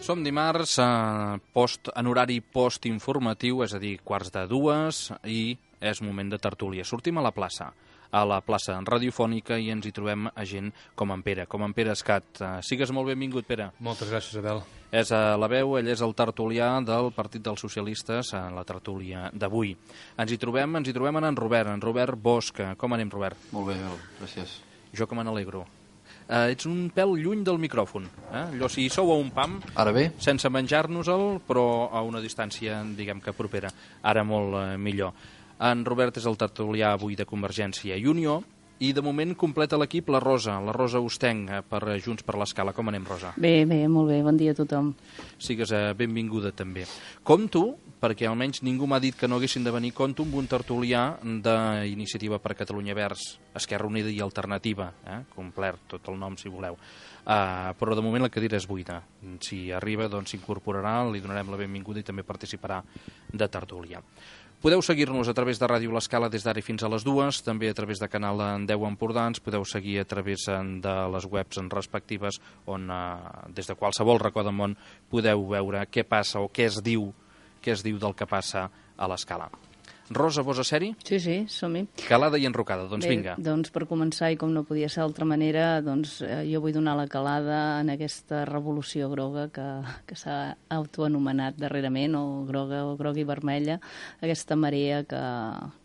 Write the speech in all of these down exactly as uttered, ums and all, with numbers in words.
Som dimarts eh, post, en horari postinformatiu, és a dir, quarts de dues, i és moment de tertúlia. Sortim a la plaça, a la plaça radiofònica, i ens hi trobem a gent com en Pere, com en Pere Escat. Eh, sigues molt benvingut, Pere. Moltes gràcies, Adel. És a la veu, ell és el tertulià del Partit dels Socialistes, a la tertúlia d'avui. Ens hi trobem, ens hi trobem en en Robert, en Robert Bosch. Com anem, Robert? Molt bé, gràcies. Jo que me n'alegro. Uh, ets un pèl lluny del micròfon, eh? Allò, si sou a un pam, ara bé? Sense menjar-nos-el, però a una distància, diguem que propera, ara molt uh, millor. En Robert és el tertulià avui de Convergència i Unió, i de moment completa l'equip la Rosa, la Rosa Ostenc, per Junts per l'Escala. Com anem, Rosa? Bé, bé, molt bé, bon dia a tothom. Sigues uh, benvinguda també. Compto, perquè almenys ningú m'ha dit que no haguessin de venir, compto amb un tertulià d'Iniciativa per Catalunya Verds, Esquerra Unida i Alternativa, eh? Complert tot el nom si voleu. Uh, però de moment la cadira és buida. Si arriba, doncs s'incorporarà, li donarem la benvinguda i també participarà de tertúlia. Podeu seguir-nos a través de Ràdio L'Escala des d'ara fins a les dues, també a través de Canal en deu Empordà, ens podeu seguir a través de les webs respectives on eh, des de qualsevol racó del món podeu veure què passa o què es diu, què es diu del que passa a l'Escala. Rosa, vols a sèrie? Sí, sí, som-hi. Calada i enrocada, doncs Bé, vinga. Doncs per començar, i com no podia ser d'altra manera, doncs eh, jo vull donar la calada en aquesta revolució groga que, que s'ha autoanomenat darrerament, o groga o groga i vermella, aquesta marea que,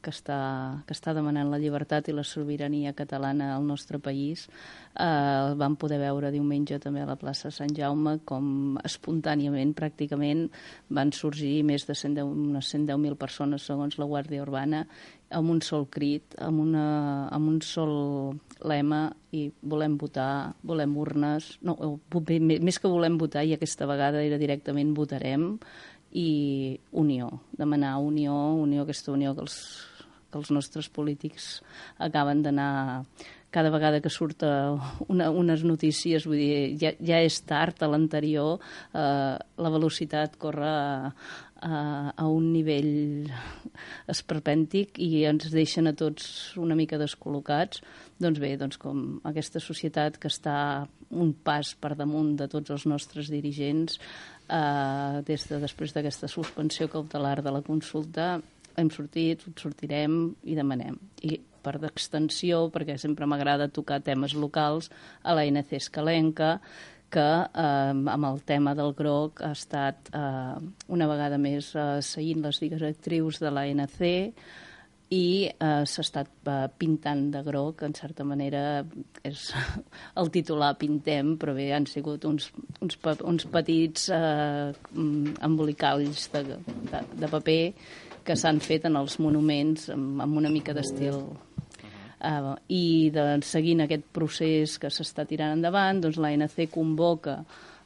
que, està, que està demanant la llibertat i la sobirania catalana al nostre país. Eh, vam poder veure diumenge també a la plaça Sant Jaume com espontàniament, pràcticament, van sorgir més de cent deu, unes cent deu mil persones, segons la Guàrdia Urbana, amb un sol crit, amb, una, amb un sol lema, i volem votar, volem urnes, no, més que volem votar, i aquesta vegada era directament votarem, i unió, demanar unió, unió, aquesta unió que els, que els nostres polítics acaben d'anar... Cada vegada que surt una, unes notícies, vull dir, ja, ja és tard, a l'anterior, eh, la velocitat corre a, a, a un nivell esperpèntic i ens deixen a tots una mica descol·locats. Doncs bé, doncs com aquesta societat que està un pas per damunt de tots els nostres dirigents, eh, des de després d'aquesta suspensió cautelar de la consulta, hem sortit, sortirem i demanem. I per d'extensió, perquè sempre m'agrada tocar temes locals, a l'A N C Escalenca, que eh, amb el tema del groc ha estat eh, una vegada més eh, seguint les directrius de l'A N C i eh, s'ha estat eh, pintant de groc, en certa manera és el titular pintem, però bé, han sigut uns, uns, uns petits eh, embolicalls de, de, de paper que s'han fet en els monuments amb, amb una mica d'estil. Uh, I de, seguint aquest procés que s'està tirant endavant, doncs l'A N C convoca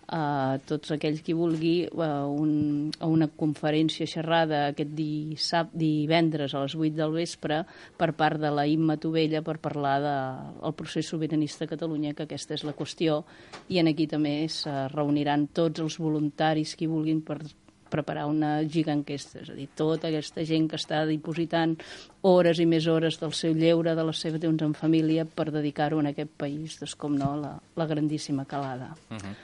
a uh, tots aquells qui vulgui uh, un, a una conferència xerrada aquest dissab, divendres a les vuit del vespre per part de la Imma Tovella per parlar del de, procés sobiranista a Catalunya, que aquesta és la qüestió, i en aquí també es reuniran tots els voluntaris qui vulguin per preparar una giganquesta, és a dir, tota aquesta gent que està dipositant hores i més hores del seu lleure, de les seves temps en família, per dedicar-ho en aquest país, doncs com no, la, la grandíssima calada. Uh-huh.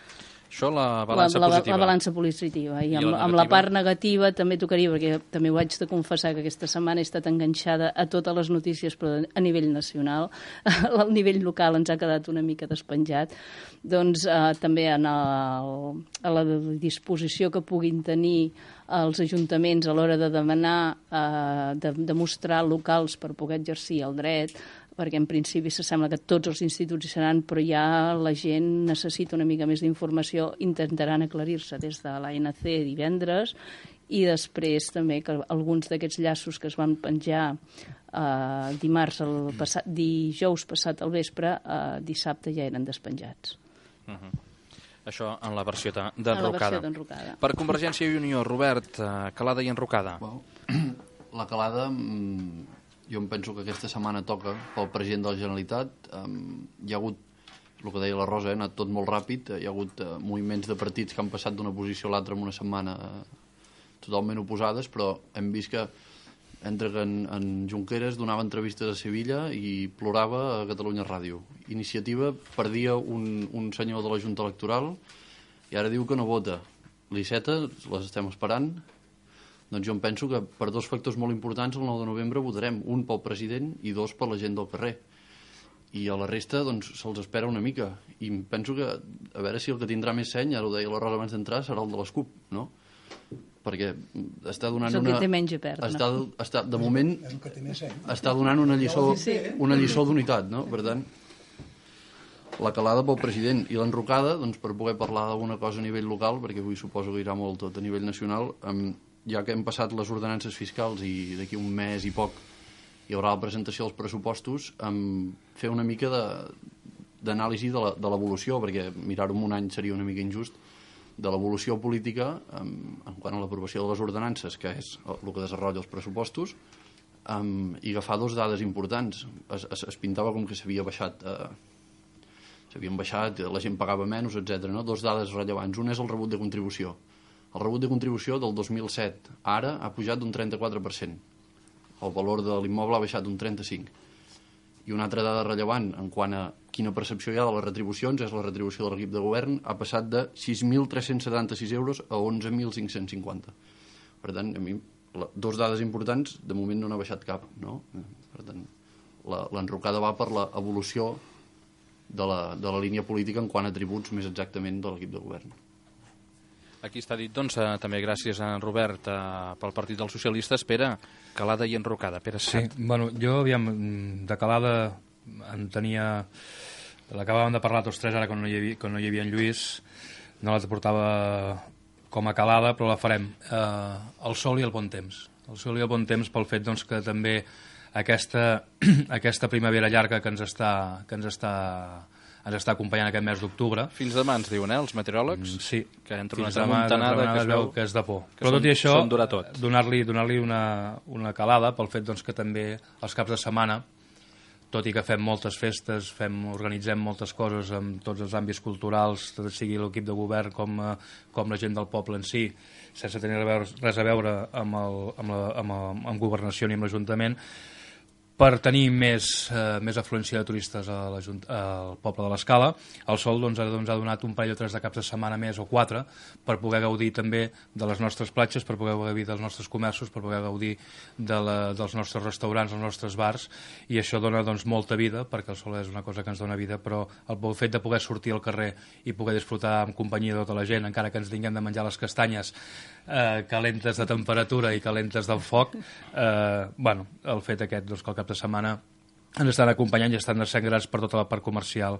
Això, la balança la, la, positiva. La balança positiva. I, I amb, la amb la part negativa també tocaria, perquè també ho haig de confessar que aquesta setmana he estat enganxada a totes les notícies, però a nivell nacional, al nivell local ens ha quedat una mica despenjat. Doncs eh, també en el, a la disposició que puguin tenir els ajuntaments a l'hora de demanar, eh, de, de mostrar locals per poder exercir el dret, perquè en principi s'assembla que tots els instituts hi seran, però ja la gent necessita una mica més d'informació, intentaran aclarir-se des de l'A N C divendres, i després també que alguns d'aquests llaços que es van penjar eh, dimarts, el passat, dijous passat al vespre, eh, dissabte ja eren despenjats. Uh-huh. Això en la versió d'enrocada. d'enrocada. Per Convergència i Unió, Robert, eh, calada i enrocada. Well, la calada... Mm... Jo em penso que aquesta setmana toca pel president de la Generalitat. Um, hi ha hagut, el que deia la Rosa, ha anat tot molt ràpid. Hi ha hagut uh, moviments de partits que han passat d'una posició a l'altra en una setmana uh, totalment oposades, però hem vist que entre que en, en Junqueras donava entrevistes a Sevilla i plorava a Catalunya Ràdio. Iniciativa perdia un, un senyor de la Junta Electoral i ara diu que no vota. L'Iceta, les estem esperant. Doncs jo em penso que per dos factors molt importants el nou de novembre votarem, un pel president i dos per la gent del carrer. I a la resta doncs se'ls espera una mica. I em penso que, a veure si el que tindrà més seny, ara ho deia la Rosa abans d'entrar, serà el de les CUP, no? Perquè està donant una... És el una... que té menys a perdre. Està, està, de moment, està donant una lliçó, una lliçó d'unitat, no? Per tant, la calada pel president i l'enrocada, doncs per poder parlar d'alguna cosa a nivell local, perquè avui suposo que irà molt tot a nivell nacional, amb ja que hem passat les ordenances fiscals i d'aquí un mes i poc hi haurà la presentació dels pressupostos, um, fer una mica d'anàlisi de, de l'evolució, perquè mirar-ho en un any seria una mica injust, de l'evolució política um, en quant a l'aprovació de les ordenances, que és el que desenvolupa els pressupostos, um, i agafar dos dades importants. Es, es, es pintava com que s'havia baixat... Uh, s'havien baixat, la gent pagava menys, etcètera. No? Dos dades rellevants. Un és el rebut de contribució. El rebut de contribució del dos mil set ara ha pujat d'un trenta-quatre per cent. El valor de l'immoble ha baixat d'un trenta-cinc per cent. I una altra dada rellevant en quant a quina percepció hi ha de les retribucions és la retribució de l'equip de govern ha passat de sis mil tres-cents setanta-sis euros a onze mil cinc-cents cinquanta. Per tant, a mi, la, dos dades importants, de moment no n'ha baixat cap, no? Per tant, l'enrocada va per l'evolució de la, de la línia política en quant a tributs més exactament de l'equip de govern. Aquí està dit, doncs, eh, també gràcies a Robert, eh, pel Partit dels Socialistes. Pere, calada i enrocada. Pere Set. Sí, bueno, jo, aviam, de calada en tenia... L'acabàvem de parlar tots tres ara quan no hi havia, quan no hi havia en Lluís, no la portava com a calada, però la farem. Eh, el sol i el bon temps. El sol i el bon temps pel fet doncs, que també aquesta, aquesta primavera llarga que ens està... Que ens està ens està acompanyant aquest mes d'octubre. Fins demà ens diuen, eh, els meteoròlegs? Mm, sí. Que entre Fins una demà, tramuntanada que es veu que és de por. Però tot i això, donar-li donar-li una, una calada pel fet doncs, que també els caps de setmana, tot i que fem moltes festes, fem, organitzem moltes coses en tots els àmbits culturals, tot sigui l'equip de govern com, com la gent del poble en si, sense tenir res a veure amb, el, amb, la, amb, el, amb governació ni amb l'Ajuntament, per tenir més, eh, més afluència de turistes a la, al poble de l'Escala. El Sol doncs, doncs, ha donat un parell o tres de caps de setmana més o quatre per poder gaudir també de les nostres platges, per poder gaudir dels nostres comerços, per poder gaudir de la, dels nostres restaurants, dels nostres bars, i això dona doncs, molta vida, perquè el Sol és una cosa que ens dona vida, però el fet de poder sortir al carrer i poder disfrutar en companyia de tota la gent, encara que ens tinguem de menjar les castanyes eh, calentes de temperatura i calentes del foc, eh, bueno, el fet aquest doncs, que el cap de setmana ens estan acompanyant i estan sent grans per tota la part comercial.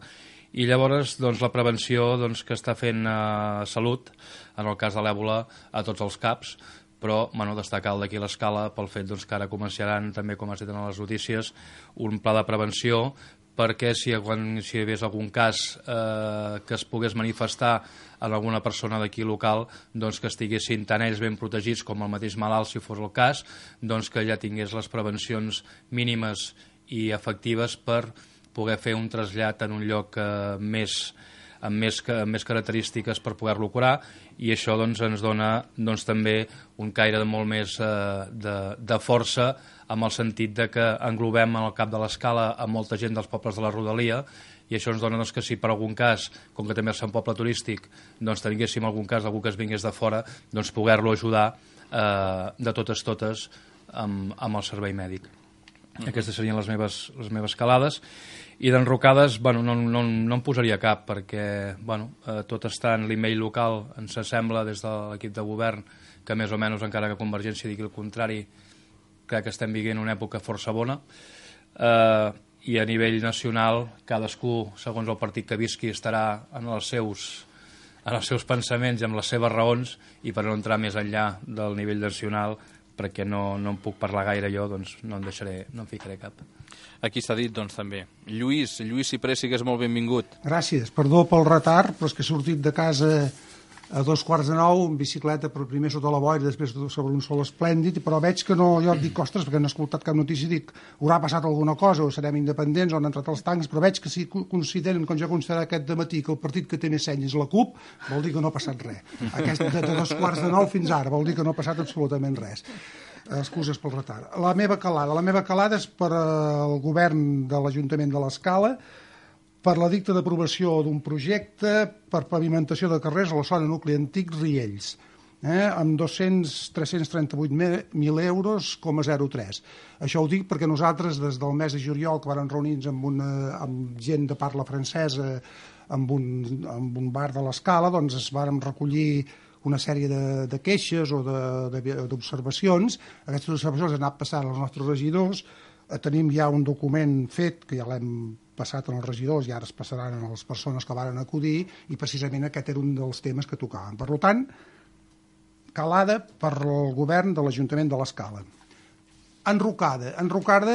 I llavors doncs, la prevenció doncs, que està fent eh, Salut, en el cas de l'èbola, a tots els caps, però bueno, destacar el d'aquí l'Escala pel fet doncs, que ara començaran, també com has dit en les notícies, un pla de prevenció perquè si, quan, si hi hagués algun cas eh, que es pogués manifestar en alguna persona d'aquí local, doncs que estiguessin tant ells ben protegits com el mateix malalt, si fos el cas, doncs que ja tingués les prevencions mínimes i efectives per poder fer un trasllat en un lloc eh, més, amb, més, amb més característiques per poder-lo curar, i això doncs, ens dona doncs, també un caire de molt més eh, de, de força, amb el sentit de que englobem en el cap de l'Escala a molta gent dels pobles de la rodalia, i això ens dona doncs, que si per algun cas, com que també és un poble turístic, doncs tinguéssim algun cas d'algú que es vingués de fora, doncs poder-lo ajudar eh, de totes totes amb, amb el servei mèdic. Mm-hmm. Aquestes serien les meves, les meves calades. I d'enrocades, bueno, no, no, no em posaria cap, perquè bueno, eh, tot està en l'email local, ens sembla des de l'equip de govern que més o menys, encara que Convergència digui el contrari, crec que estem vivint una època força bona, eh, i a nivell nacional cadascú, segons el partit que visqui, estarà en els seus, en els seus pensaments i amb les seves raons, i per no entrar més enllà del nivell nacional, perquè no, no en puc parlar gaire jo, doncs no en deixaré, no en ficaré cap. Aquí s'ha dit, doncs, també. Lluís, Lluís Cipré, sigues molt benvingut. Gràcies. Perdó pel retard, però és que he sortit de casa a dos quarts de nou, en bicicleta, per primer sota la boira, després sobre un sol esplèndid, però veig que no, jo et dic, ostres, perquè no he escoltat cap notícia, dic, haurà passat alguna cosa, o serem independents, o han entrat els tancs, però veig que si consideren, com jo considerava aquest dematí, que el partit que té més seny és la CUP, vol dir que no ha passat res. Aquest de, de dos quarts de nou fins ara, vol dir que no ha passat absolutament res. excuses pel retard. La meva calada. La meva calada és per al govern de l'Ajuntament de l'Escala, per la dicta d'aprovació d'un projecte per pavimentació de carrers a la zona nucli antic Riells, eh, amb dos-cents tres-cents trenta-vuit mil euros, coma zero tres. Això ho dic perquè nosaltres, des del mes de juliol, que vam reunir-nos amb, una, amb gent de parla francesa amb un, amb un bar de l'Escala, doncs es vàrem recollir una sèrie de, de queixes o d'observacions. Aquestes observacions han anat passant als nostres regidors. Tenim ja un document fet, que ja l'hem passat als regidors i ara es passaran a les persones que varen acudir, i precisament aquest era un dels temes que tocaven. Per tant, calada per al govern de l'Ajuntament de l'Escala. Enrocada. Enrocada,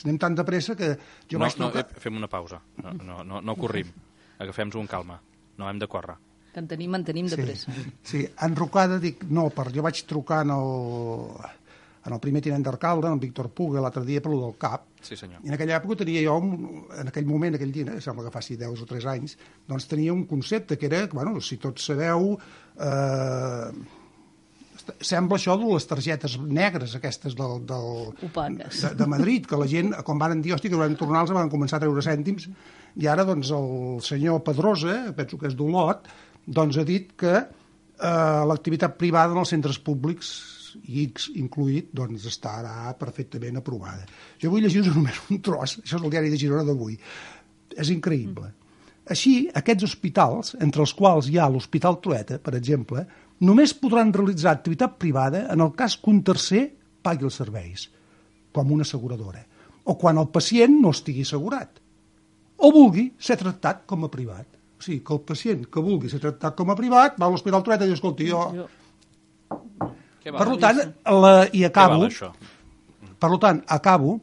anem tan de pressa que jo no, vaig trucar... No, fem una pausa. No, no, no, no corrim. Agafem-nos un calma. No hem de córrer. Que en tenim, en tenim de sí, pressa. Sí, enrocada, dic, no, per, jo vaig trucar en el, en el primer tinent d'alcalde, en Víctor Puga, l'altre dia per lo del CAP. Sí, senyor. I en aquella època tenia jo, un, en aquell moment, aquell dia, sembla que faci deu o tres anys, doncs tenia un concepte que era, bueno, si tots sabeu, eh, sembla això de les targetes negres, aquestes del, del, de, de Madrid, que la gent, quan van dir, hòstia, que van tornar-los, van començar a treure cèntims, i ara, doncs, el senyor Pedrosa, penso que és d'Olot, doncs ha dit que eh, l'activitat privada en els centres públics, i X incluït, doncs estarà perfectament aprovada. Jo vull llegir només un tros, això és el diari de Girona d'avui. És increïble. Així, aquests hospitals, entre els quals hi ha l'Hospital Trueta, per exemple, només podran realitzar activitat privada en el cas que un tercer pagui els serveis, com una asseguradora, o quan el pacient no estigui assegurat, o vulgui ser tractat com a privat. O sigui, que el pacient que vulgui ser tractat com a privat va a l'Hospital Trueta i diu, escolti, jo... Per tant, la, i acabo... Per tant, acabo...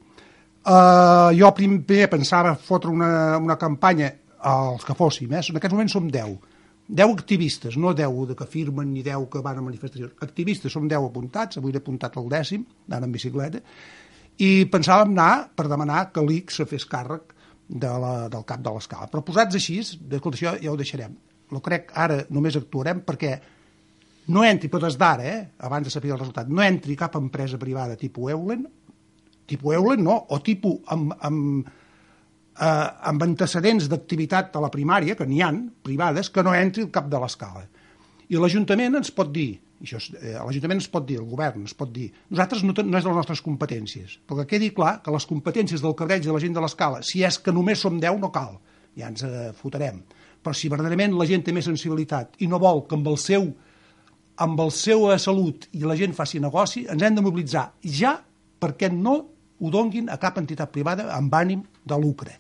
Uh, jo primer pensava fotre una, una campanya als que fóssim, eh? En aquests moments som deu. deu activistes, no deu de que firmen ni deu que van a manifestacions. Activistes, som deu apuntats, avui he apuntat el dècim, anant en bicicleta, i pensàvem anar per demanar que l'I C se fes càrrec de la, del cap de l'Escala. Però posats així, d'escolta, això ja ho deixarem. Lo crec, ara només actuarem perquè no entri, però des d'ara, eh, abans de saber el resultat, no entri cap empresa privada tipus Eulen, tipus Eulen no, o tipus amb, amb, eh, amb antecedents d'activitat a la primària, que n'hi han, privades, que no entri el cap de l'Escala. I l'Ajuntament ens pot dir, això, eh, l'Ajuntament ens pot dir, el govern ens pot dir, nosaltres no, no és de les nostres competències, però que quedi clar que les competències del cabreig de la gent de l'Escala, si és que només som deu, no cal, ja ens eh, fotrem. Però si verdaderament la gent té més sensibilitat i no vol que amb el seu amb el seu salut i la gent faci negoci, ens hem de mobilitzar ja perquè no ho donguin a cap entitat privada amb ànim de lucre.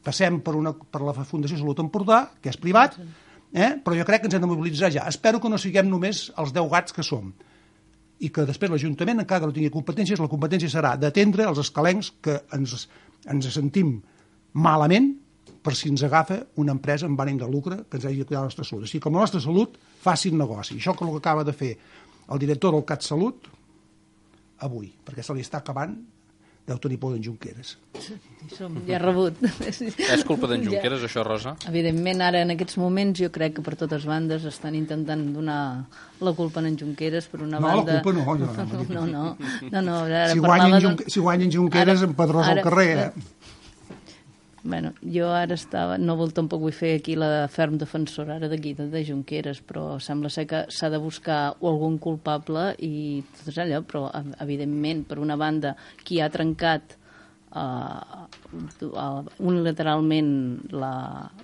Passem per, una, per la Fundació Salut Empordà, que és privat, eh? Però jo crec que ens hem de mobilitzar ja. Espero que no siguem només els deu gats que som i que després l'Ajuntament, encara que no tingui competències, la competència serà d'atendre els escalencs que ens, ens sentim malament per si ens agafa una empresa amb ànim de lucre que ens hagi de cuidar la nostra salut. Així com la nostra salut faci negoci. Això que el que acaba de fer el director del CatSalut avui, perquè se li està acabant, deu tenir por d'en Junqueras. Som ja rebut. És culpa d'en Junqueras, ja. Això, Rosa? Evidentment, ara, en aquests moments, jo crec que per totes bandes estan intentant donar la culpa a en Junqueras, per una no, banda... No, la culpa no. Jo, no, no, no. no, no ara si, guanyen Junque... si guanyen Junqueras, ara, empadrós al carrer, eh? Bueno, jo ara estava, no vol, tampoc vull fer aquí la ferm defensora ara d'aquí, de, de Junqueras, però sembla ser que s'ha de buscar algun culpable i tot és allò, però evidentment, per una banda, qui ha trencat uh, unilateralment la,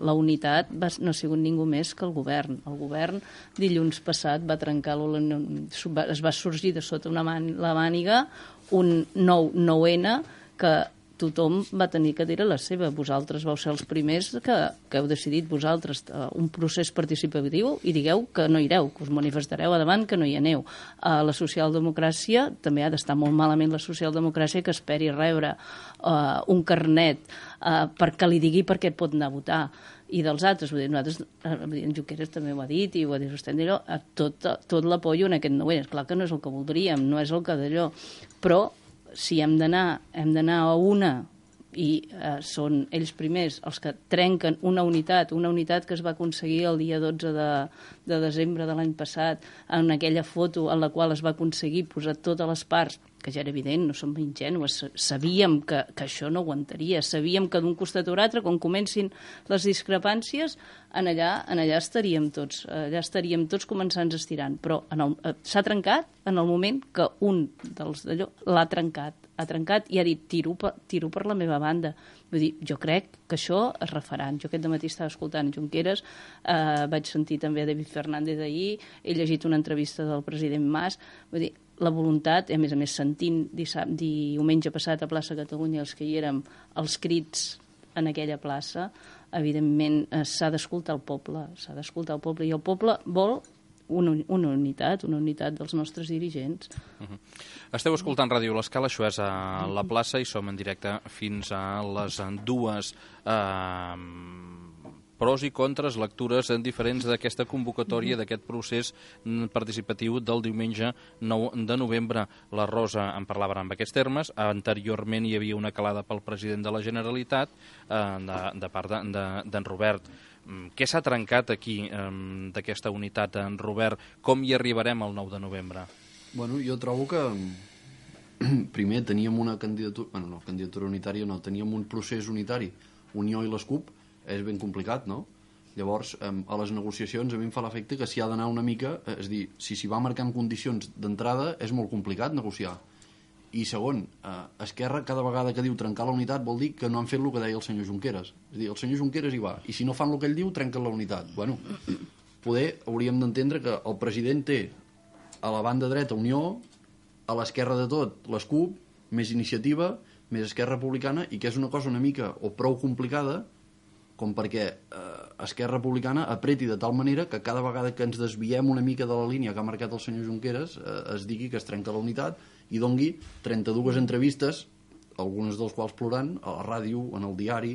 la unitat va, no ha sigut ningú més que el govern. El govern dilluns passat va trencar, es va sorgir de sota una man, la màniga un nou nou ene que tothom va tenir que dir la seva. Vosaltres vau ser els primers que, que heu decidit vosaltres uh, un procés participatiu i digueu que no ireu, que us manifestareu a davant, que no hi aneu. Uh, la socialdemocràcia, també ha d'estar molt malament la socialdemocràcia que esperi rebre uh, un carnet uh, perquè li digui per què et pot anar a votar. I dels altres, vull dir, nosaltres, en Junqueras també ho ha dit i ho ha dit vostè, tot, tot l'apoyo en aquest nou ene. És clar que no és el que voldríem, no és el que d'allò, però si hem d'anar hem d'anar a una i eh, són ells primers els que trenquen una unitat, una unitat que es va aconseguir el dia dotze de, de desembre de l'any passat, en aquella foto en la qual es va aconseguir posar totes les parts, que ja era evident, no som ingenues, sabíem que, que això no aguantaria, sabíem que d'un costat o l'altre, quan comencin les discrepàncies, en allà, en allà estaríem tots, allà estaríem tots començant estirant, però s'ha trencat en el moment que un dels d'allò l'ha trencat, ha trencat i ha dit tiro per, tiro per la meva banda. Vull dir, jo crec que això es refarà. Jo aquest dematí estava escoltant Junqueras, eh, vaig sentir també a David Fernández ahir, he llegit una entrevista del president Mas, vull dir, la voluntat, i a més a més sentint dissabte, diumenge passat a plaça Catalunya els que hi érem, els crits en aquella plaça, evidentment eh, s'ha d'escoltar el poble, s'ha d'escoltar el poble, i el poble vol una, una unitat, una unitat dels nostres dirigents. Uh-huh. Esteu escoltant Ràdio L'Escala, això és a la plaça i som en directe fins a les dues. Eh, pros i contres, lectures diferents d'aquesta convocatòria, d'aquest procés participatiu del diumenge nou de novembre. La Rosa en parlava en aquests termes. Anteriorment hi havia una calada pel president de la Generalitat eh, de, de part d'en de, de, Robert. Què s'ha trencat aquí eh, d'aquesta unitat, en Robert? Com hi arribarem el nou de novembre? Bueno, jo trobo que primer teníem una candidatura, bueno, no, candidatura unitària no, teníem un procés unitari, Unió i les CUP, és ben complicat, no? Llavors, eh, a les negociacions a mi em fa l'efecte que s'hi ha d'anar una mica, eh, és a dir, si s'hi va marcant condicions d'entrada és molt complicat negociar. I segon, eh, Esquerra cada vegada que diu trencar la unitat vol dir que no han fet el que deia el senyor Junqueras. És a dir, el senyor Junqueras hi va, i si no fan el que ell diu, trenquen la unitat. Bueno, poder hauríem d'entendre que el president té a la banda dreta Unió, a l'esquerra de tot les CUP, més Iniciativa, més Esquerra Republicana, i que és una cosa una mica o prou complicada com perquè eh, Esquerra Republicana apreti de tal manera que cada vegada que ens desviem una mica de la línia que ha marcat el senyor Junqueras eh, es digui que es trenca la unitat i dongui trenta-dues entrevistes, algunes dels quals plorant, a la ràdio, en el diari,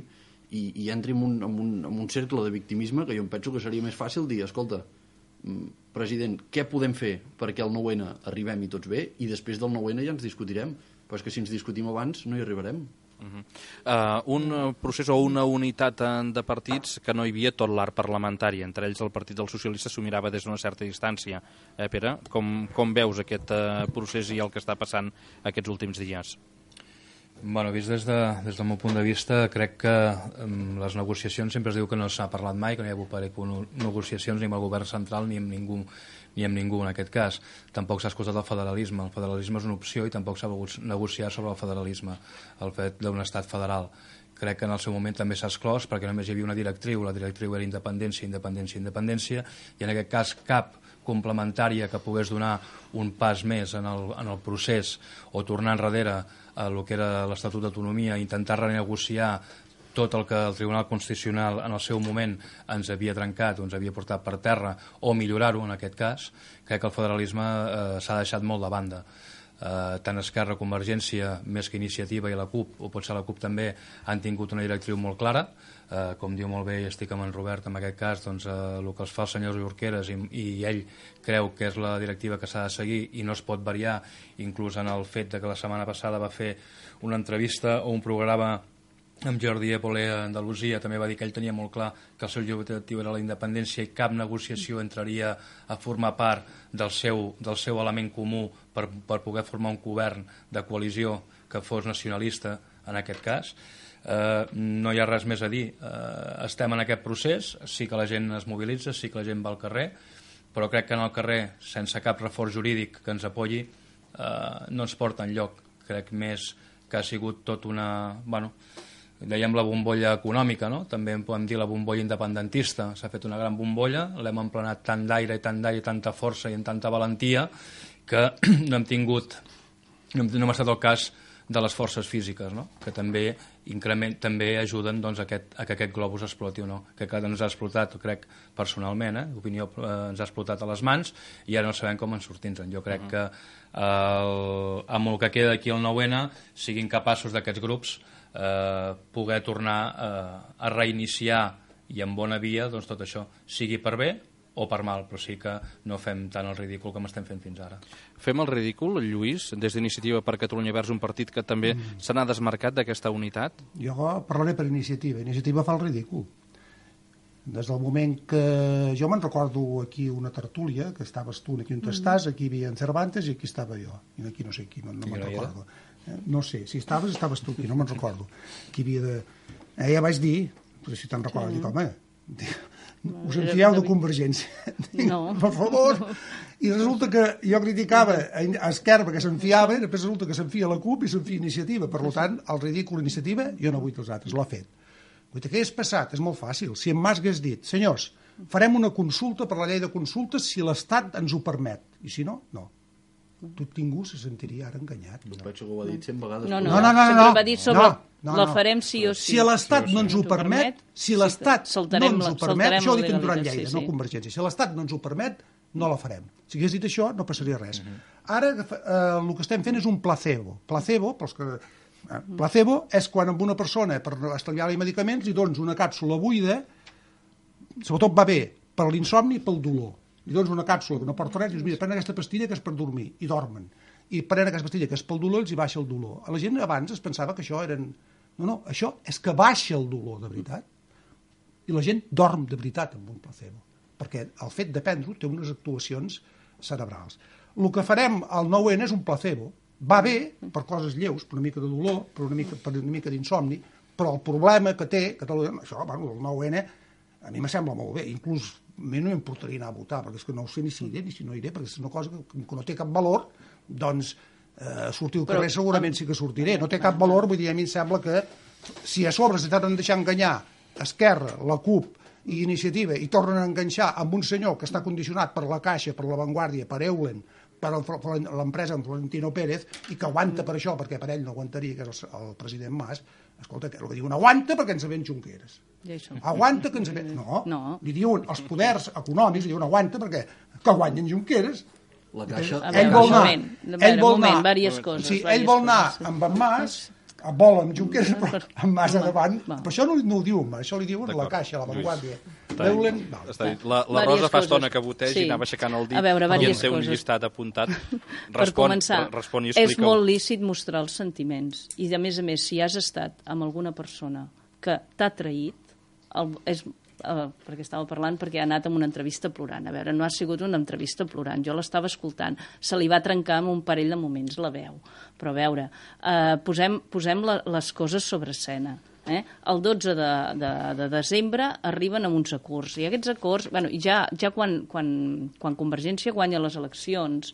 i, i entri en un, en, un, en un cercle de victimisme que jo em penso que seria més fàcil dir, escolta, president, què podem fer perquè el nou ene arribem i tots bé, i després del nou ene ja ens discutirem, però és que si ens discutim abans no hi arribarem. Uh-huh. uh, un procés o una unitat de partits que no hi havia tot l'art parlamentari, entre ells el Partit dels Socialistes s'ho mirava des d'una certa distància. Eh, Pere, com, com veus aquest uh, procés i el que està passant aquests últims dies? Bueno, vist des, de, des del meu punt de vista, crec que um, les negociacions sempre es diu que no s'ha parlat mai, que no hi ha hagut negociacions ni amb el govern central ni amb ningú, ni amb ningú en aquest cas. Tampoc s'ha escoltat el federalisme. El federalisme és una opció i tampoc s'ha volgut negociar sobre el federalisme, el fet d'un estat federal. Crec que en el seu moment també s'ha exclòs perquè només hi havia una directriu, la directriu era independència, independència, independència, i en aquest cas cap complementària que pogués donar un pas més en el, en el procés o tornar enrere a el que era l'Estatut d'Autonomia, intentar renegociar tot el que el Tribunal Constitucional en el seu moment ens havia trencat o ens havia portat per terra, o millorar-ho en aquest cas. Crec que el federalisme eh, s'ha deixat molt de banda. Eh, tant Esquerra, Convergència, més que Iniciativa i la CUP, o potser la CUP també, han tingut una directriu molt clara. Eh, com diu molt bé, i estic amb en Robert en aquest cas, doncs, eh, el que els fa el senyor Junqueras i, i ell creu que és la directiva que s'ha de seguir i no es pot variar, inclús en el fet de que la setmana passada va fer una entrevista o un programa amb Jordi Évole a Andalusia, també va dir que ell tenia molt clar que el seu objectiu era la independència i cap negociació entraria a formar part del seu, del seu element comú per, per poder formar un govern de coalició que fos nacionalista en aquest cas. Eh, no hi ha res més a dir. Eh, estem en aquest procés, sí que la gent es mobilitza, sí que la gent va al carrer, però crec que en el carrer, sense cap reforç jurídic que ens apoyi, eh, no ens porta enlloc. Crec més que ha sigut tot una... Bueno, dèiem la bombolla econòmica, no? També en podem dir la bombolla independentista. S'ha fet una gran bombolla, l'hem emplenat tant d'aire i tant d'aire i tanta força i amb tanta valentia que no hem tingut, no hem, no hem estat el cas de les forces físiques, no? Que també increment, també ajuden doncs, a, aquest, a que aquest globus exploti o no. Que cada ens ha explotat, crec, personalment, eh? L'opinió eh, ens ha explotat a les mans i ara no sabem com en sortir-nos. Jo crec uh-huh. que eh, amb el que queda d'aquí el nou ene siguin capaços d'aquests grups eh, poder tornar eh, a reiniciar i en bona via doncs, tot això, sigui per bé o per mal, però sí que no fem tant el ridícul com estem fent fins ara. Fem el ridícul, Lluís, des d'Iniciativa per Catalunya Verds, un partit que també mm. se n'ha desmarcat d'aquesta unitat? Jo parlaré per Iniciativa. Iniciativa fa el ridícul. Des del moment que... Jo me'n recordo aquí una tertúlia, que estaves tu aquí on mm. estàs, aquí hi havia en Cervantes i aquí estava jo. I aquí no sé qui, no, no me'n recordo. Eh, no sé, si estaves, estaves tu aquí, no me'n recordo. Aquí havia de... Eh, ja vaig dir, però si te'n recordes, dic, home, us en fieu de Convergència. No. Per favor. No. I resulta que jo criticava a Esquerra que s'enfiava, i després resulta que s'enfia la CUP i s'enfia Iniciativa. Per tant, el ridícul Iniciativa, jo no vull que els altres, l'ha fet. Vull dir, què és passat? És molt fàcil. Si en Mas hagués dit, senyors, farem una consulta per la llei de consultes si l'Estat ens ho permet. I si no, no. Tot ningú se sentiria ara enganyat. No penso que ho ha dit cent vegades. No, no, no, no, no, sempre no, va dir sobre no, no, la farem sí o sí. Si l'Estat no ens ho permet, si l'Estat no ens ho permet, això ho dic en Duran Lleida, no Convergència, si l'Estat no ens ho permet, no la farem. Si hagués dit això, no passaria res. Ara el que estem fent és un placebo. Placebo, pels que... Placebo és quan amb una persona, per estalviar-li medicaments, li dones una càpsula buida, sobretot va bé per l'insomni i pel dolor. Li dones una càpsula que no porta res i dius, mira, pren aquesta pastilla que és per dormir, i dormen. I pren aquesta pastilla que és pel dolor, els hi baixa el dolor. A la gent abans es pensava que això eren... No, no, això és que baixa el dolor, de veritat. I la gent dorm de veritat amb un placebo, perquè el fet de prendre-ho té unes actuacions cerebrals. El que farem al nou ene és un placebo. Va bé per coses lleus, per una mica de dolor, per una mica, per una mica d'insomni, però el problema que té Catalunya, això, bueno, el nou ene, a mi me sembla molt bé, inclús a mi no m'importaria anar a votar, perquè és que no ho sé ni si iré ni si no iré, perquè és una cosa que, que no té cap valor, doncs eh, sortir al carrer però, segurament sí que sortiré. No té cap valor, vull dir, a mi em sembla que si a sobre s'estan deixant enganyar Esquerra, la CUP i Iniciativa i tornen a enganxar amb un senyor que està condicionat per la Caixa, per la Vanguardia, per Eulen, per l'empresa en Florentino Pérez, i que aguanta per això, perquè per ell no aguantaria, que és el, el president Mas, escolta, el que diuen, aguanta perquè ens ven Junqueras. Aguanta que ens ven... No, no, li diuen, els poders econòmics li diuen aguanta perquè que guanyen Junqueras. La Caixa... Ell vol anar... Ell vol anar... Diverses coses. Sí, ell vol anar amb en Mas, vol amb Junqueras, però amb Mas a davant. Però això no, no ho diu Mas, això li diuen la Caixa, la Vanguardia. Eulen... La, la Rosa fa estona que voteja sí. i anava aixecant el dit veure, i en té un llistat apuntat. Respon, per començar, respon i és molt lícit mostrar els sentiments. I, a més a més, si has estat amb alguna persona que t'ha traït, el, és, uh, perquè estava parlant, perquè ha anat amb una entrevista plorant. A veure, no ha sigut una entrevista plorant. Jo l'estava escoltant. Se li va trencar en un parell de moments la veu. Però a veure, uh, posem, posem la, les coses sobre escena. Eh? El dotze de, de, de desembre arriben amb uns acords, i aquests acords, bueno, ja, ja quan, quan, quan Convergència guanya les eleccions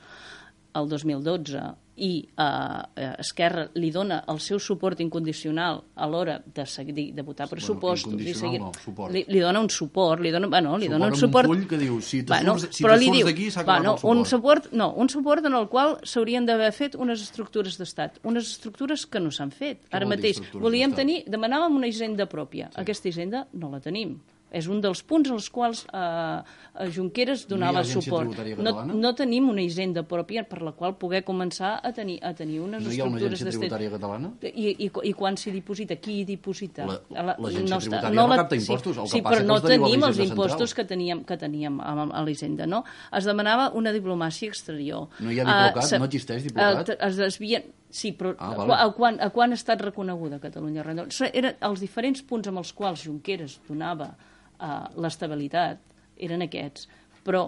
el dos mil dotze i eh, Esquerra li dona el seu suport incondicional a l'hora de, seguir, de votar pressupostos, bueno, incondicional no, suport. Li, li dona un suport, li dona, bueno, li suport dona un suport... un full que diu, si te bueno, surts, si te surts d'aquí s'ha acabat bueno, el suport. Un suport. No, un suport en el qual s'haurien d'haver fet unes estructures d'estat, unes estructures que no s'han fet. Què Ara mateix volíem tenir, demanàvem una hisenda pròpia. Sí. Aquesta hisenda no la tenim. És un dels punts als quals eh, Junqueras donava no suport. No, no tenim una hisenda pròpia per la qual poder començar a tenir, a tenir unes no estructures d'estat. No hi ha una agència tributària catalana? I, i, I quan s'hi diposita? Qui hi diposita? L'agència no tributària no, no capta impostos. Sí, sí però no tenim els impostos que teníem, que teníem a, a l'hisenda. No? Es demanava una diplomàcia exterior. No hi ha diplocat? Uh, no existeix diplocat? Uh, es desvien... Sí, però ah, vale. a, quan, a quan ha estat reconeguda Catalunya? Eren els diferents punts amb els quals Junqueras donava Uh, l'estabilitat eren aquests, però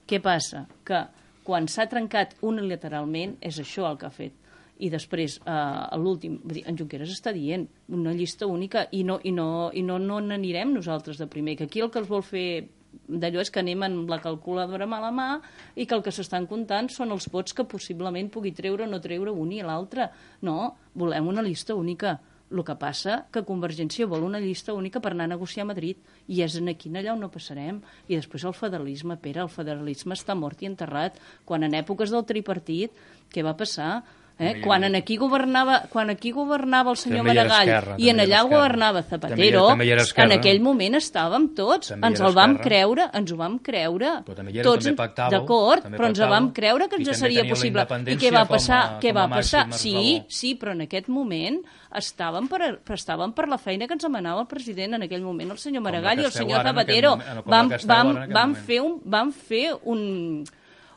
què passa? Que quan s'ha trencat unilateralment és això el que ha fet, i després uh, l'últim, en Junqueras està dient una llista única i no i no i no no n'anirem nosaltres de primer, que aquí el que es vol fer d'allò és que anem amb la calculadora a la mà i que el que s'estan comptant són els vots que possiblement pugui treure o no treure un i l'altre. No, volem una llista única. El que passa que Convergència vol una llista única per anar a negociar a Madrid i és aquí allà on no passarem. I després el federalisme, Pere, el federalisme està mort i enterrat. Quan en èpoques del tripartit, què va passar? Eh? Quan, en aquí governava, quan aquí governava el senyor També hi era Maragall Esquerra, i en també hi era allà Esquerra. governava Zapatero, També hi era- també hi era Esquerra. en aquell moment estàvem tots. També hi Ens era el vam Esquerra. creure, ens ho vam creure. Però també hi era, Tots, també pactàveu, d'acord, també però ens pactàveu, vam creure que i ens també seria teníeu la possible. I independència què va com a- passar? Què com a va passar? màxim Sí, esglaó. sí, però en aquest moment estàvem per, per, estàvem per la feina que ens demanava el president en aquell moment, el senyor Maragall i el esteu senyor ara en aquest Zapatero. moment- com Vam, la que esteu vam, ara en aquest vam, moment. fer un, vam fer un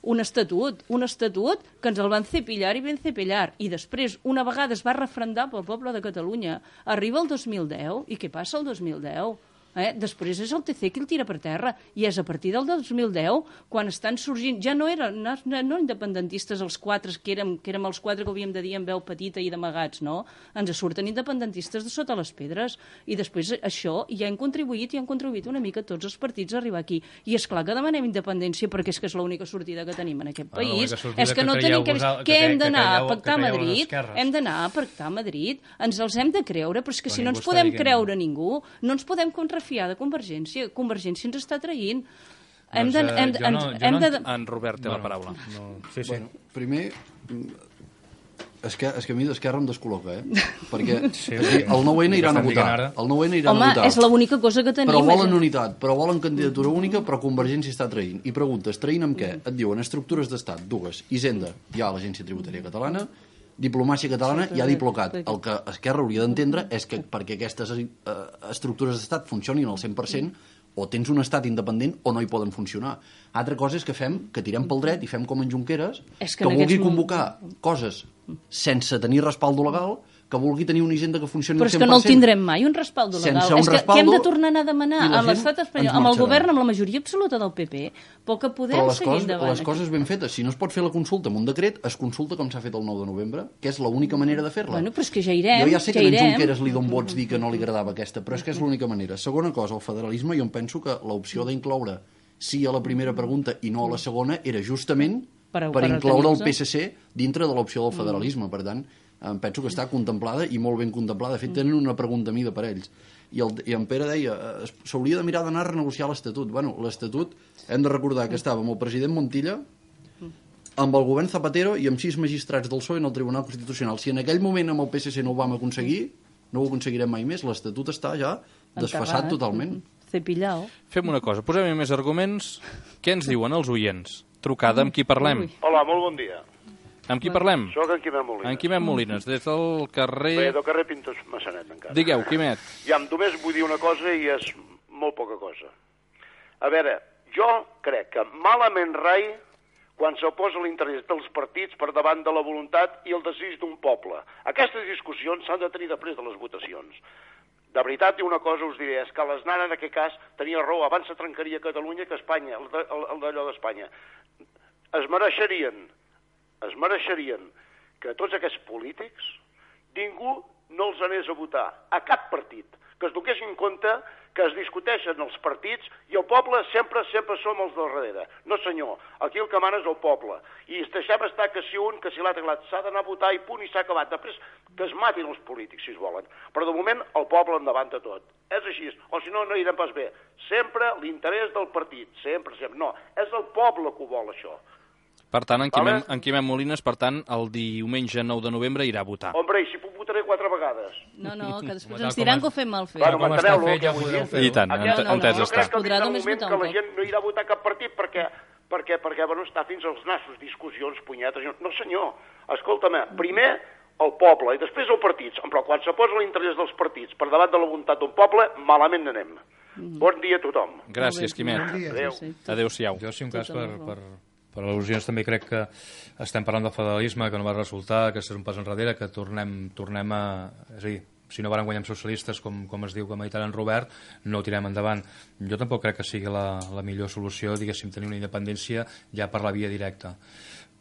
un estatut, un estatut que ens el van cepillar i ben cepillar. I després, una vegada es va refrendar pel poble de Catalunya. Arriba el dos mil deu, i què passa el dos mil deu? Eh? Després és el T C qui el tira per terra, i és a partir del dos mil deu quan estan sorgint, ja no eren no, no independentistes els quatre, que érem, que érem els quatre que havíem de dir en veu petita i d'amagats, no? Ens surten independentistes de sota les pedres, i després això ja hem contribuït i han contribuït una mica tots els partits a arribar aquí. I és clar que demanem independència perquè és que és l'única sortida que tenim en aquest Bueno, país. l'única sortida És que, que no creieu tenim que... vosal- que Què hem cre- que d'anar a creieu- pactar a que creieu les Madrid? esquerres. Hem d'anar a pactar a Madrid, ens els hem de creure, però és que Però si no ningú ens està podem dient- creure ningú, no ens podem contrafiar de Convergència. Convergència ens està traient. Hem de, Doncs, eh, hem, jo hem, no- jo hem no de... ent- En Robert té la paraula. No, sí, sí. Bueno, primer, és que, és que a mi d'Esquerra em descol·loca, eh? Perquè Sí, aquí, el nou N iran a Estan dient votar. ara. El nou N iran Home, a votar. és l'única cosa que tenim. Però volen és- unitat, però volen candidatura única, però Convergència està traint. I preguntes, traint amb què? Et diuen estructures d'estat, dues. Hisenda, hi ha l'Agència Tributària Catalana, diplomàcia catalana, hi ha Diplocat. El que Esquerra hauria d'entendre és que perquè aquestes eh, estructures d'estat funcionin al cent per cent, o tens un estat independent o no hi poden funcionar. Altra cosa és que fem, que tirem pel dret i fem com en Junqueras, És que que en vulgui aquests convocar coses sense tenir respaldo legal, que vulgui tenir una hisenda que funcioni Però al és cent que per cent. no el tindrem mai, un respaldo legal. Sense un és que respaldo, què hem de tornar a anar a demanar i la a gent l'estat espanyol, ens amb el marxarà. govern, amb la majoria absoluta del P P, però que podem Però les seguir coses, endavant. les coses ben fetes. Si no es pot fer la consulta amb un decret, es consulta com s'ha fet el nou de novembre, que és l'única manera de fer-la. Bueno, però és que ja irem, jo ja sé que ja a en irem. Junqueras li don vots dir que no li agradava aquesta, però és que és l'única manera. Segona cosa, el federalisme, jo em penso que l'opció d'incloure sí a la primera pregunta i no a la segona era justament Per- per, per incloure el tenir-se. P S C dintre de l'opció del federalisme. Per tant, em penso que està contemplada i molt ben contemplada. De fet, tenen una pregunta mida per ells. I, el, i en Pere deia, eh, es- s'hauria de mirar d'anar a renegociar l'Estatut. Bueno, l'Estatut, hem de recordar que estava amb el president Montilla, amb el govern Zapatero i amb sis magistrats del P S O E en el Tribunal Constitucional. Si en aquell moment amb el P S C no ho vam aconseguir, no ho aconseguirem mai més. L'Estatut està ja desfassat Enterrat. totalment. Cepillao. Fem una cosa, posem-hi més arguments. Què ens diuen els oients? Trucada, amb qui parlem? Ui. Hola, molt bon dia. Amb qui parlem? Soc en Quimet Molines. En Quimet Molines, des del Bé, carrer... del carrer Pintos Massanet, encara. Digueu, Quimet. Ja, només vull dir una cosa i és molt poca cosa. A veure, jo crec que malament rai quan s'oposa l'interès dels partits per davant de la voluntat i el desig d'un poble. Aquestes discussions s'han de tenir després de les votacions. De veritat, i una cosa us diré, és que l'Aznar en aquest cas tenia raó, abans se trencaria Catalunya que Espanya, el, de, el, el d'allò d'Espanya. Es mereixerien, es mereixerien que tots aquests polítics ningú no els anés a votar, a cap partit, que es donés en compte que es discuteixen els partits i el poble sempre, sempre som els del darrere. No senyor, aquí el que mana és el poble. I es deixem estar que si un, que si l'altre, s'ha d'anar a votar i punt i s'ha acabat. Després que es matin els polítics, si es volen. Però de moment el poble endavant de tot. És així, o si no, no irem pas bé. Sempre l'interès del partit, sempre, sempre. No, és el poble que ho vol, això. Per tant, en Vale. Quimet, en Quimet Molines, per tant, el diumenge nou de novembre irà a votar. Hombre, i si puc votaré quatre vegades. No, no, que després Tal ens com diran es- que ho fem mal fet. Bueno, com està m'enteneu, fet, el que ja vull podeu dir? fer-ho. I tant, Aquest- ent- entès no, està. Jo crec que Podrà vindrà un només moment votar que un la cop. gent no irà a votar cap partit perquè, perquè, perquè bueno, està fins als nassos, discussions, punyetes... No, senyor, escolta'm, primer el poble i després els partits, però quan se posa l'interès dels partits per davant de la voluntat d'un poble, malament anem. Bon dia a tothom. Gràcies, Quimet. Bon dia. Adéu. Sí, sí. Adéu-siau. Jo, si un cas, Tota per, la raó. per, per al·lusions també crec que estem parlant del federalisme, que no va resultar, que és un pas enrere, que tornem, tornem a... És a dir, si no van guanyar amb socialistes, com, com es diu que ha en Robert, no ho tirem endavant. Jo tampoc crec que sigui la, la millor solució, diguéssim, tenir una independència ja per la via directa.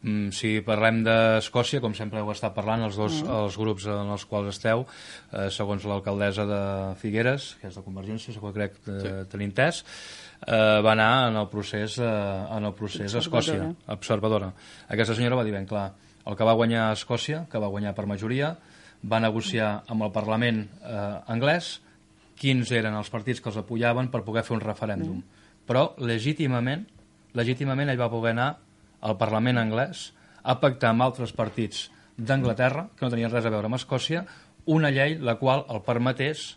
Mm, si parlem d'Escòcia, com sempre heu estat parlant, els dos els grups en els quals esteu, eh, segons l'alcaldessa de Figueres, que és de Convergència, segons crec eh, sí. tenir entès, eh, va anar en el procés, eh, en el procés a Escòcia, observadora. Aquesta senyora va dir ben clar, el que va guanyar a Escòcia, que va guanyar per majoria, va negociar amb el Parlament eh, anglès quins eren els partits que els apoyaven per poder fer un referèndum. Però legítimament, legítimament ell va poder anar al Parlament anglès a pactar amb altres partits d'Anglaterra, que no tenien res a veure amb Escòcia, una llei la qual el permetés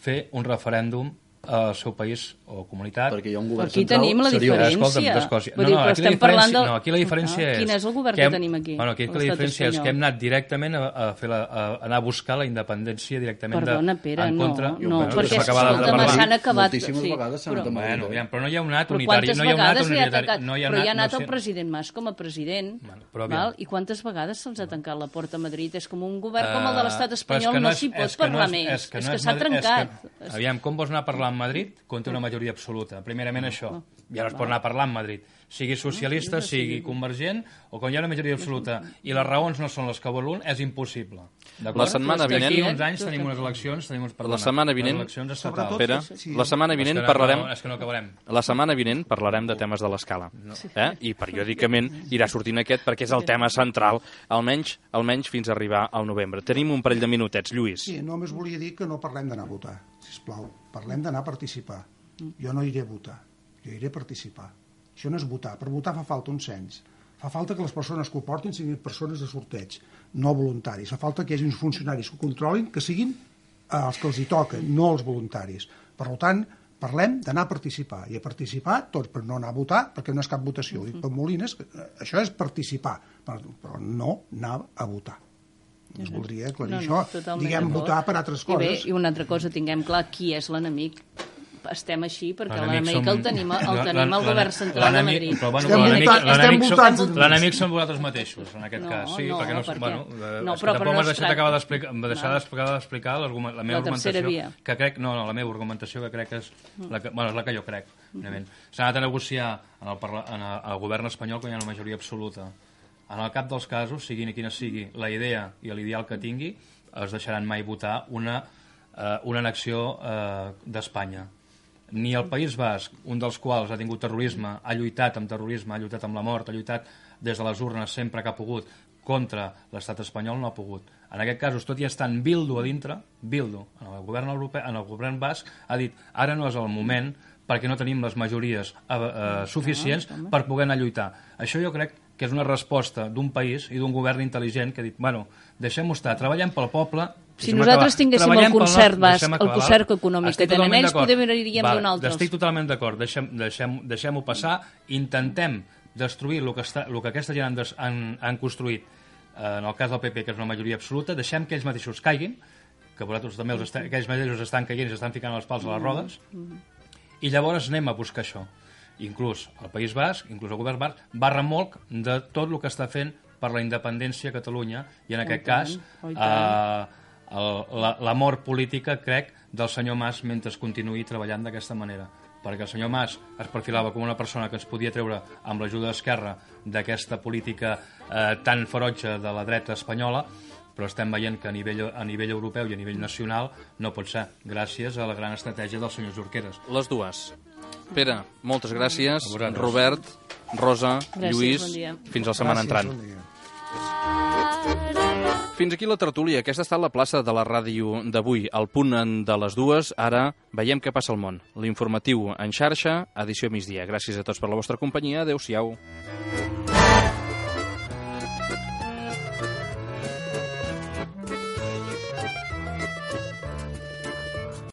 fer un referèndum al seu país o comunitat. Perquè hi ha un govern aquí central tenim la seriós. diferència. D'Escòcia. Vull dir, no, no, però aquí la estem parlant diferència, del... no, aquí la diferència ah, és... Quin és el govern que, que hem, tenim aquí? Bueno, aquí la diferència és que hem anat directament a, a, fer la, a anar a buscar la independència directament Perdona, de, Pere, en no, contra. no, bueno, perquè escolta'm, s'han acabat... Moltíssimes sí, vegades s'han però, anat a Madrid. Bueno, aviam, però no hi ha un anat però unitari. quantes No hi ha un anat vegades li ha unitari. tancat? No hi ha però hi ha anat, anat no el sé. president Mas com a president, Bueno, però aviam. val? I quantes vegades se'ls ha tancat la porta a Madrid? És com un govern com el de l'estat Uh, però és espanyol, que no és- s'hi pot és que no parlar és- més. és que És no que és s'ha Madrid- és trencat. que- Aviam, com vols anar a parlar amb Madrid quan té una majoria absoluta? Primerament això. Ja no es pot anar a parlar amb Madrid. Sigui socialista, sigui convergent, o quan hi ha una majoria absoluta i les raons no són les que vol un, és impossible. D'acord? La setmana vinent- D'aquí uns anys tenim unes eleccions, tenim uns, perdona, La setmana vinent- unes eleccions estatals. Pere, Sí. la setmana vinent És que no- parlarem... no, és que no acabarem. La setmana vinent parlarem de temes de l'escala. Eh? I periòdicament irà sortint aquest perquè és el tema central, almenys almenys fins a arribar al novembre. Tenim un parell de minutets, Lluís. Sí, només volia dir que no parlem d'anar a votar, sisplau. Parlem d'anar a participar. Jo no iré a votar, jo iré a participar. Això no és votar. Per votar fa falta un cens. Fa falta que les persones que ho portin siguin persones de sorteig, no voluntaris. Fa falta que hi hagi uns funcionaris que ho controlin, que siguin els que els hi toquen, no els voluntaris. Per tant, parlem d'anar a participar. I a participar tots, per no anar a votar, perquè no és cap votació. Ho dic per Molines, que això és participar, però no anar a votar. Us voldria aclarir No, no, això. totalment Diguem d'acord. votar per altres I bé, coses. i una altra cosa, tinguem clar qui és l'enemic. Estem així perquè L'enemic l'enemic som- el tenim, el l'en- tenim al l'en- govern central de l'enemic- Madrid. però, bueno, Estem l'enemic- voltant- l'enemic estem som- voltant- L'enemic són vosaltres mateixos, en aquest No, cas. Sí, no, perquè no, perquè- bueno, no, és que però- tampoc però m'has no es deixat tracta- acabar d'explicar m'ha deixat Val. d'explicar d'explicar l'argument- la meva La tercera argumentació, via. que crec, no, no, la meva argumentació que crec que és la que, bueno, és la que jo crec. Mm-hmm. S'ha anat a negociar en el, parla, en el, el govern espanyol quan hi ha una majoria absoluta. En el cap dels casos, siguin quina sigui la idea i l'ideal que tingui, es deixaran mai votar una, eh, una annexió eh, d'Espanya. Ni el País Basc, un dels quals ha tingut terrorisme, ha lluitat amb terrorisme, ha lluitat amb la mort, ha lluitat des de les urnes sempre que ha pogut contra l'estat espanyol, no ha pogut. En aquest cas, tot i estar en Bildu a dintre, Bildu, en el govern europeu, en el govern basc, ha dit ara no és el moment perquè no tenim les majories eh, eh, suficients per poder anar a lluitar. Això jo crec que és una resposta d'un país i d'un govern intel·ligent que ha dit, bueno, deixem-ho estar, treballem pel poble. Si deixem nosaltres acabar, tinguéssim treballem el pel concert nostre- basc, deixem el acabar, concert val? econòmic Estic que tenen totalment ells, d'acord. potser aniríem Val, d'un altre. Estic totalment d'acord, deixem, deixem, deixem-ho passar, intentem destruir el que, està, el que aquesta gent han, des, han, han construït, eh, en el cas del P P, que és una majoria absoluta, deixem que ells mateixos caiguin, que vosaltres també els està, que ells mateixos estan caient i s'estan ficant els pals a les rodes, i llavors anem a buscar això. Inclús el País Basc, inclús el govern basc, va remolc de tot el que està fent per la independència a Catalunya, i en aquest cas eh, el- la, la mort política, crec, del senyor Mas mentre es continuï treballant d'aquesta manera. Perquè el senyor Mas es perfilava com una persona que ens podia treure amb l'ajuda d'Esquerra d'aquesta política eh, tan ferotge de la dreta espanyola, però estem veient que a nivell, a nivell europeu i a nivell nacional no pot ser, gràcies a la gran estratègia del senyor Junqueras. Les dues. Pere, moltes gràcies. A vosaltres. Robert, Rosa, Gràcies, Lluís, bon dia. fins la setmana entrant. Bon dia. Fins aquí la tertúlia. Aquesta ha estat la plaça de la ràdio d'avui. Al punt de les dues, ara veiem què passa al món. L'informatiu en xarxa, edició migdia. Gràcies a tots per la vostra companyia. Adéu-siau.